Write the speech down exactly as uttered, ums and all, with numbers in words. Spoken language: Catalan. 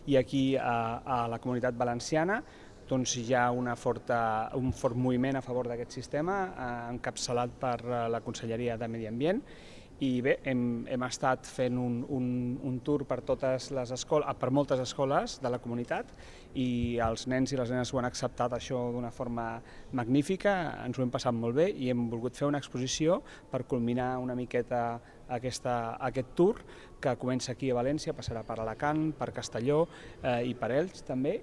i aquí a, a la Comunitat Valenciana doncs hi ha una forta, un fort moviment a favor d'aquest sistema, eh, encapçalat per la Conselleria de Medi Ambient. I bé, hem, hem estat fent un, un, un tour per, totes les escoles, per moltes escoles de la comunitat i els nens i les nenes ho han acceptat això d'una forma magnífica, ens ho hem passat molt bé i hem volgut fer una exposició per culminar una miqueta aquesta, aquest tour que comença aquí a València, passarà per Alacant, per Castelló eh, i per Elx també,